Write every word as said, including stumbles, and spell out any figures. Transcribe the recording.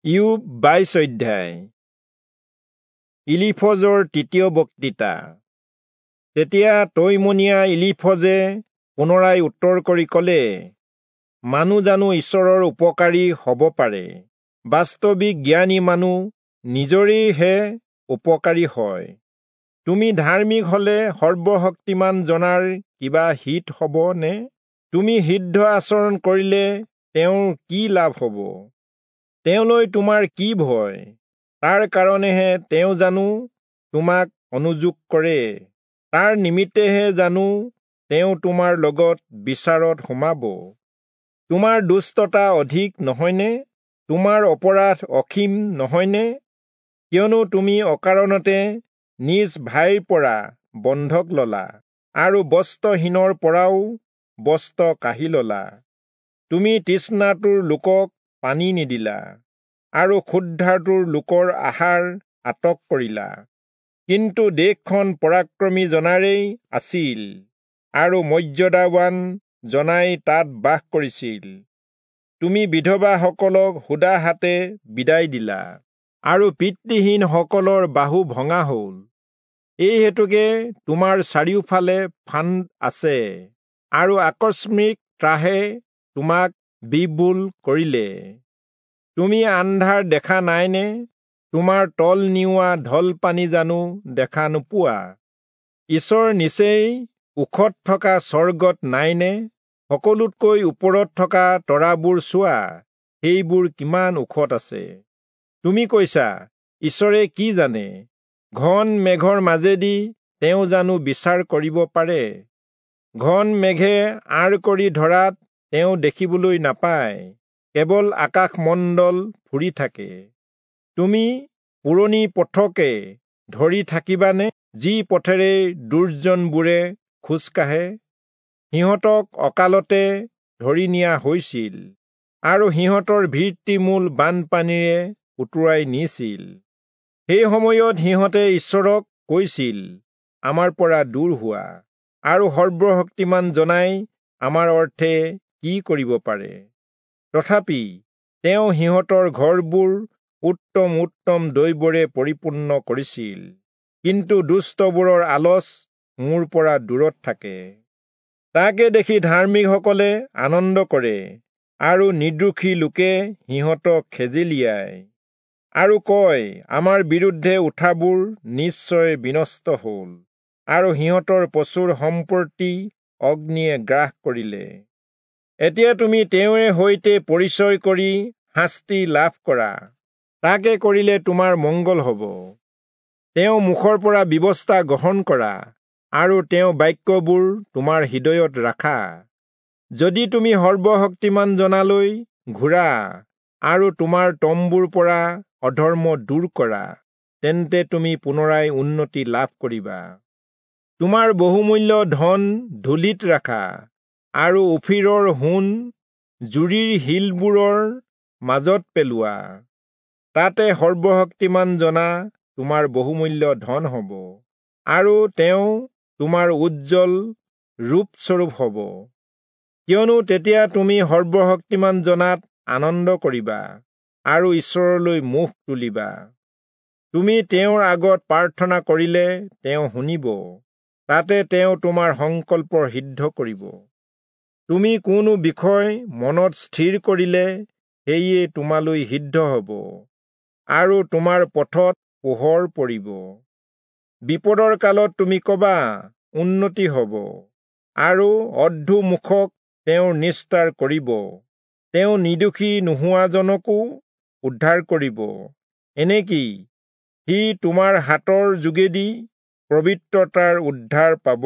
ইয়োব বাইশ অধ্যায়। ইলিফজৰ তৃতীয় বক্তৃতা। তেতিয়া তৈমনীয়া ইলিফজে পুনৰাই উত্তৰ কৰি কলে, মানুহ জানো ঈশ্বৰৰ উপকাৰী হ'ব পাৰে? বাস্তৱিক জ্ঞানী মানুহ নিজৰেইহে উপকাৰী হয়। তুমি ধাৰ্মিক হলে সৰ্বশক্তিমান জনাৰ কিবা হিত হ'ব নে? তুমি সিদ্ধ আচৰণ কৰিলে তেওঁৰ কি লাভ হ'ব? তেওঁলৈ তোমাৰ কি ভয়? তাৰ কাৰণেহে তেওঁ জানো তোমাক অনুযোগ কৰে? তাৰ নিমিত্তেহে জানো তেওঁ তোমাৰ লগত বিচাৰত সোমাব? তোমাৰ দুষ্টতা অধিক নহয়নে? তোমাৰ অপৰাধ অসীম নহয়নে? কিয়নো তুমি অকাৰণতে নিজ ভাইৰ পৰা বন্ধক ললা আৰু বস্ত্ৰহীনৰ পৰাও বস্ত্ৰ কাঢ়ি ললা। তুমি তৃষ্ণাতুৰ লোকক পানী নিদিলা আৰু ক্ষুধাতুৰ লোকৰ আহাৰ আটক কৰিলা। কিন্তু দেশখন পৰাক্ৰমী জনাৰেই আছিল আৰু মৰ্যাদাৱান জনাই তাত বাস কৰিছিল। তুমি বিধৱাসকলক সুদা হাতে বিদায় দিলা আৰু পিতৃহীনসকলৰ বাহু ভঙা হ'ল। এই হেতুকে তোমাৰ চাৰিওফালে ফান্দ আছে আৰু আকস্মিক ত্ৰাসে তোমাক বিবুল কৰিলে। তুমি আন্ধাৰ দেখা নাইনে? তোমাৰ তল নিওৱা ঢল পানী জানো দেখা নোপোৱা? ঈশ্বৰ নিচেই ওখত থকা স্বৰ্গত নাইনে? সকলোতকৈ ওপৰত থকা তৰাবোৰ চোৱা, সেইবোৰ কিমান ওখত আছে। তুমি কৈছা, ঈশ্বৰে কি জানে? ঘন মেঘৰ মাজেদি তেওঁ জানো বিচাৰ কৰিব পাৰে? ঘন মেঘে আঁৰ কৰি ধৰাত তেওঁ দেখিবলৈ নাপায়, কেৱল আকাশমণ্ডল ফুৰি থাকে। তুমি পুৰণি পথকে ধৰি থাকিবানে, যি পথেৰে দুৰ্জনবোৰে খোজ কাঢ়ে? সিহঁতক অকালতে ধৰি নিয়া হৈছিল আৰু সিহঁতৰ ভিত্তিমূল বানপানীৰে উটুৱাই নিছিল। সেই সময়ত সিহঁতে ঈশ্বৰক কৈছিল, আমাৰ পৰা দূৰ হোৱা, আৰু সৰ্বশক্তিমান জনাই আমাৰ অৰ্থে কি কৰিব পাৰে? তথাপি তেওঁ সিহঁতৰ ঘৰবোৰ উত্তম উত্তম দৈৱৰে পৰিপূৰ্ণ কৰিছিল, কিন্তু দুষ্টবোৰৰ আলচ মোৰ পৰা দূৰত থাকে। তাকে দেখি ধাৰ্মিকসকলে আনন্দ কৰে আৰু নিৰ্দোষী লোকে সিহঁতক খেজেলিয়ায় আৰু কয়, আমাৰ বিৰুদ্ধে উঠাবোৰ নিশ্চয় বিনষ্ট হ'ল আৰু সিহঁতৰ প্ৰচুৰ সম্পত্তি অগ্নিয়ে গ্ৰাস কৰিলে। এতিয়া তুমি তেওঁৰে সৈতে পৰিচয় কৰি শাস্তি লাভ কৰা, তাকে কৰিলে তোমাৰ মংগল হ'ব। তেওঁ মুখৰ পৰা ব্যৱস্থা গ্ৰহণ কৰা আৰু তেওঁ বাক্যবোৰ তোমাৰ হৃদয়ত ৰাখা। যদি তুমি সৰ্বশক্তিমান জনালৈ ঘূৰা আৰু তোমাৰ তম্বুৰ পৰা অধৰ্ম দূৰ কৰা, তেন্তে তুমি পুনৰাই উন্নতি লাভ কৰিবা। তোমাৰ বহুমূল্য ধন ধূলিত ৰাখা আৰু ওফিৰৰ সোণ জুৰিৰ শিলবোৰৰ মাজত পেলোৱা। তাতে সৰ্বশক্তিমান জনা তোমাৰ বহুমূল্য ধন হ'ব আৰু তেওঁ তোমাৰ উজ্জ্বল ৰূপস্বৰূপ হ'ব। কিয়নো তেতিয়া তুমি সৰ্বশক্তিমান জনাত আনন্দ কৰিবা আৰু ঈশ্বৰলৈ মুখ তুলিবা। তুমি তেওঁৰ আগত প্ৰাৰ্থনা কৰিলে তেওঁ শুনিব, তাতে তেওঁ তোমাৰ সংকল্প সিদ্ধ কৰিব। তুমি কোনো বিষয় মনত স্থিৰ কৰিলে সেয়ে তোমালৈ সিদ্ধ হ'ব আৰু তোমাৰ পথত পোহৰ পৰিব। বিপদৰ কালত তুমি কবা, উন্নতি হ'ব, আৰু অৰ্ধমুখক তেওঁৰ নিস্তাৰ কৰিব। তেওঁ নিৰ্দোষী নোহোৱাজনকো উদ্ধাৰ কৰিব, এনেকি সি তোমাৰ হাতৰ যোগেদি পবিত্ৰতাৰ উদ্ধাৰ পাব।